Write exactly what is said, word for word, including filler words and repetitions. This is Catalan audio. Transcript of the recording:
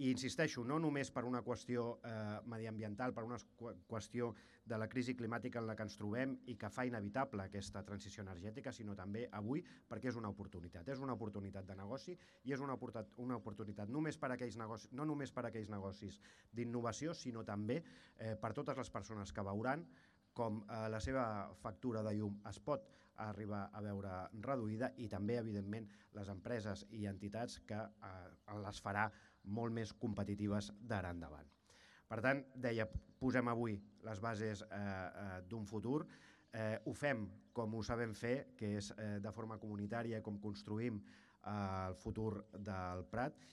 I insisteixo, no només per una qüestió eh, mediambiental, per una qüestió de la crisi climàtica en la que ens trobem i que fa inevitable aquesta transició energètica, sinó també avui perquè és una oportunitat. És una oportunitat de negoci i és una, una oportunitat només per a aquells negocis, no només per a aquells negocis d'innovació, sinó també eh, per totes les persones que veuran com eh, la seva factura de llum es pot arribar a veure reduïda i també, evidentment, les empreses i entitats que eh, les farà molt més competitives d'ara endavant. Per tant, deia, posem avui les bases eh, eh, d'un futur, eh, ho fem com ho sabem fer, que és eh, de forma comunitària, com construïm eh, el futur del Prat,